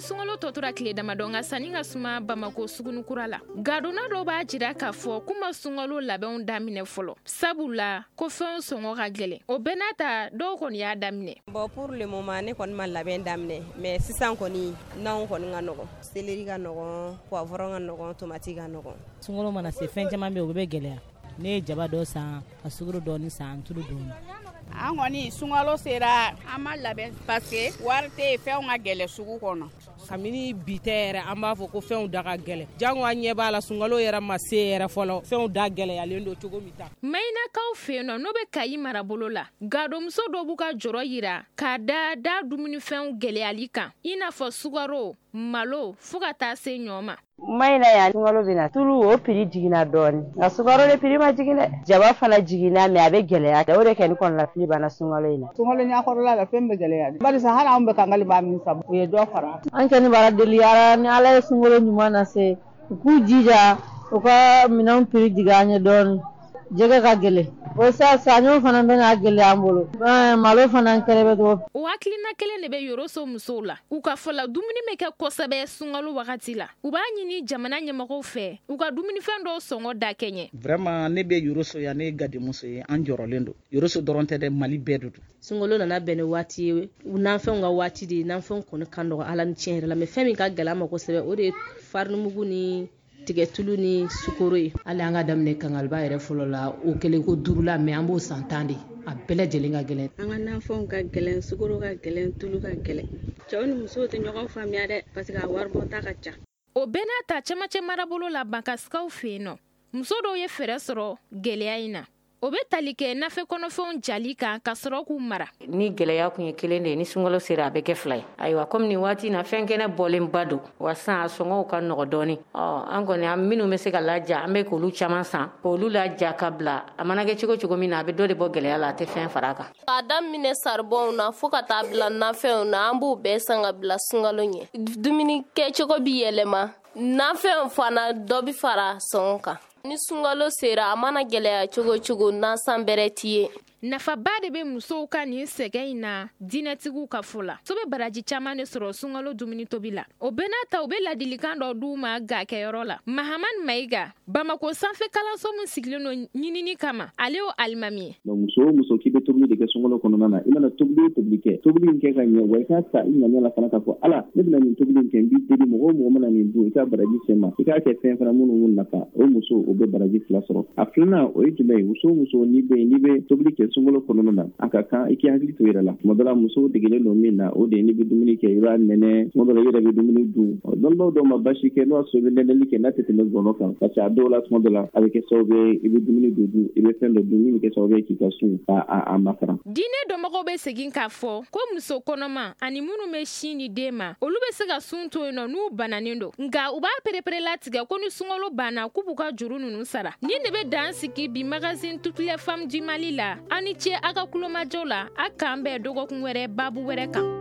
Sunkalo tɔ tora tile damadɔ, nka sanni ka suma Bamako sugunikura la. Gadonna dɔw b'a jira k'a fɔ k'u ma sunkalo labɛnw daminɛ fɔlɔ, sabula ko fɛnw sɔngɔ ka gɛlɛn. O bɛɛ n'a ta, dɔw kɔni y'a daminɛ. Bon, pour le moment, ne kɔni ma labɛn daminɛ, mais sisan kɔni, nanw kɔni ka nɔgɔn, céleri ka nɔgɔn, poivron ka nɔgɔn, tomati ka nɔgɔn. Sunkalo mana se, fɛn caman bɛ yen, o bɛ gɛlɛya. Ne ye jaba dɔ san, ka sukaro dɔɔni san, tulu dɔɔni. An kɔni, sunkalo sera, an ma labɛn parce que wari tɛ yen, fɛnw ka gɛlɛn sugu kɔnɔ. Kabini bi tɛ yɛrɛ, an b'a fɔ ko fɛnw da ka gɛlɛn. Jango an ɲɛ b'a la, sunkalo yɛrɛ ma se yɛrɛ fɔlɔ, fɛnw da gɛlɛyalen don cogo min ta. Mayinakaw fɛ yen nɔ, n'o bɛ Kayi marabolo la, gadomuso dɔw b'u ka jɔrɔ yira k'a da da dumunifɛnw gɛlɛyali kan, i n'a fɔ sukaro, malo, fo ka taa se ɲɔ ma. Mayina yan, sunkalo bɛ na, tulu o prix jiginna dɔɔni, nka sukaro de prix ma jigin dɛ. Jaba fana jiginna, mais a bɛ gɛlɛya. O de kɛ ni kɔnɔnafili banna sunkalo in na. Sunkalo ɲɛkɔrɔla la, fɛn bɛ gɛlɛya, barisa hali anw bɛ kankaliba min san, u ye dɔ fara. An kɔni b'a deli Ala ni Ala ye sunkalo ɲuman lase, u k'u jija u ka minɛnw prix jigin an ye dɔɔni. Jɛgɛ ka gɛlɛn o sa, saɲɔ fana bɛna gɛlɛya an bolo, malo fana kɛrɛ bɛ. O hakilina kelen de bɛ Yoroso musow la. U ka fɔ la, dumuni bɛ kɛ kosɛbɛ sunkalo wagati la. U b'a ɲini jamana ɲɛmɔgɔw fɛ u ka dumunifɛn dɔw sɔngɔ da kɛɲɛ. Vraiment, ne bɛ Yoroso yan, ne ye gadimuso ye. An jɔrɔlen don. Yoroso dɔrɔn tɛ dɛ, Mali bɛɛ de don. Sunkalo nana bɛn ni waati ye, nafɛnw ka waati de ye. Nafɛnw kɔni ka nɔgɔ, Ala ni tiɲɛ yɛrɛ la, mais fɛn min ka gɛlɛn ma kosɛbɛ, o de ye farinimugu ni tigɛtulu ni sukoro ye. Hali an ka daminɛ kangaliba yɛrɛ fɔlɔ la, o kɛlen ko 5 la, mais an b'o san 10 de. A bɛɛ lajɛlen ka gɛlɛn. An ka nafɛnw ka gɛlɛn, sukoro ka gɛlɛn, tulu ka gɛlɛn. Cɛw ni musow tɛ ɲɔgɔn faamuya dɛ, parce que a waribɔta ka ca. O bɛɛ n'a ta, cɛmancɛ marabolo la, Bankasikaw fɛ yen nɔ, muso dɔw ye fɛɛrɛ sɔrɔ gɛlɛya in na. O bɛ tali kɛ nafɛ kɔnɔfɛnw jali kan ka sɔrɔ k'u mara. Ni gɛlɛya kun ye kelen de ye, ni sunkalo sera, a bɛ kɛ 2 ye. Ayiwa, komi nin waati na fɛn kɛnɛ bɔlenba don wa, san a sɔngɔw ka nɔgɔ dɔɔni. Ɔ, an kɔni, an minnu bɛ se ka laja, an bɛ k'olu caman san, k'olu laja ka bila. A mana kɛ cogo cogo min na, a bɛ dɔ de bɔ gɛlɛya la, a tɛ fɛn fara a kan. K'a daminɛ saribɔnw na fo ka taa bila nafɛnw na, an b'o bɛɛ san ka bila sunkalo ɲɛ. Dumuni kɛcogo bi yɛlɛma, nafɛnw fana dɔ bi fara sɔngɔ kan. Ni sunkalo sera, a mana gɛlɛya cogo cogo, nasan bɛrɛ t'i ye. Nafaba de bɛ musow ka nin sɛgɛn in na diinɛtigiw ka fɔ la. So bɛ baraji caman de sɔrɔ sunkalo dumuni tobi la. O bɛɛ n'a ta, u bɛ ladilikan dɔ d'u ma ga kɛyɔrɔ la. Mahamani Mayiga, Bamako sanfɛ kalanso min sigilen don ɲinini kama, ale y'o alimami ye. Donc muso o muso k'i bɛ tobili de kɛ sunkalo kɔnɔna na, i mana tobili o tobili kɛ, tobili in kɛ ka ɲɛ wa, i k'a ta i ŋaniya la fana k'a fɔ: Ala, ne bɛna nin tobili in kɛ, n b'i deli, mɔgɔ o mɔgɔ mana nin dun, i ka baraji se ma. I k'a kɛ fɛn fana minnu nafa, o muso o bɛ baraji 2 sɔrɔ. A filanan, o ye jumɛn ye? Muso o muso n'i bɛ yen, n'i bɛ tobili kɛ sunkalo kɔnɔna na, a ka kan i k'i hakili to i yɛrɛ la. Tuma dɔ la, musow degelen don min na, o de ye n'i bɛ dumuni kɛ, i b'a nɛnɛ. Tuma dɔ la, i yɛrɛ bɛ dumuni dun. Dɔnnibaaw dɔw ma basi kɛ n'o y'a sɔrɔ i bɛ nɛnɛli kɛ n'a tɛ tɛmɛ gɔnɔ kan, parce que a dɔw la, tuma dɔ la, a bɛ kɛ sababu ye i bɛ dumuni dɔ dun, i bɛ fɛn dɔ dun min bɛ kɛ sababu ye k'i ka sun a makaran. Diinɛ dɔnbagaw bɛ segin k'a fɔ ko muso kɔnɔma ani minnu bɛ sin di den ma, olu bɛ se ka sun to yen nɔ n'u bananen don, nka u b'a pereperelatigɛ ko ni sunkalo banna, k'u b'u ka juru ninnu sara. Nin de bɛ dan sigi bi magazine Toutes les femmes du Mali la. Aw ni ce a ka kulomajɔ la. A k'an bɛn dɔgɔkun wɛrɛ, babu wɛrɛ kan.